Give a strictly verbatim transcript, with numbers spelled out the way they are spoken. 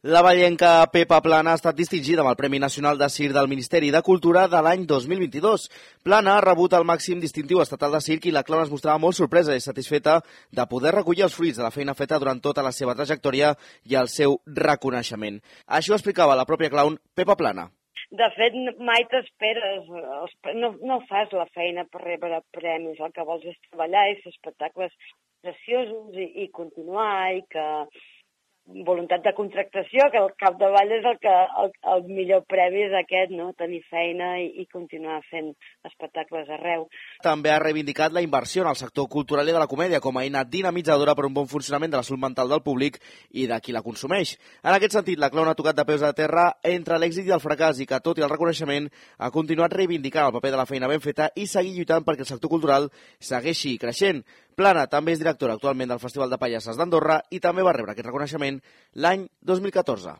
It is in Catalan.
La vallenca Pepa Plana ha estat distingida amb el Premi Nacional de Circ del Ministeri de Cultura de l'any dos mil vint-i-dos. Plana ha rebut el màxim distintiu estatal de circ i la clown es mostrava molt sorpresa i satisfeta de poder recollir els fruits de la feina feta durant tota la seva trajectòria i el seu reconeixement. Així ho explicava la pròpia clown Pepa Plana. De fet, mai t'esperes, no, no fas la feina per rebre premis, el que vols és treballar i fer espectacles preciosos i, i continuar i que voluntat de contractació, que al capdavall és el que el, el millor premi és aquest, no? Tenir feina i, i continuar fent espectacles arreu. També ha reivindicat la inversió en el sector cultural i de la comèdia com a eina dinamitzadora per un bon funcionament de la salut mental del públic i de qui la consumeix. En aquest sentit, la clown ha tocat de peus a terra entre l'èxit i el fracàs i que, tot i el reconeixement, ha continuat reivindicant el paper de la feina ben feta i seguir lluitant perquè el sector cultural segueixi creixent. Plana també és directora actualment del Festival de Pallasses d'Andorra i també va rebre aquest reconeixement l'any dos mil catorze.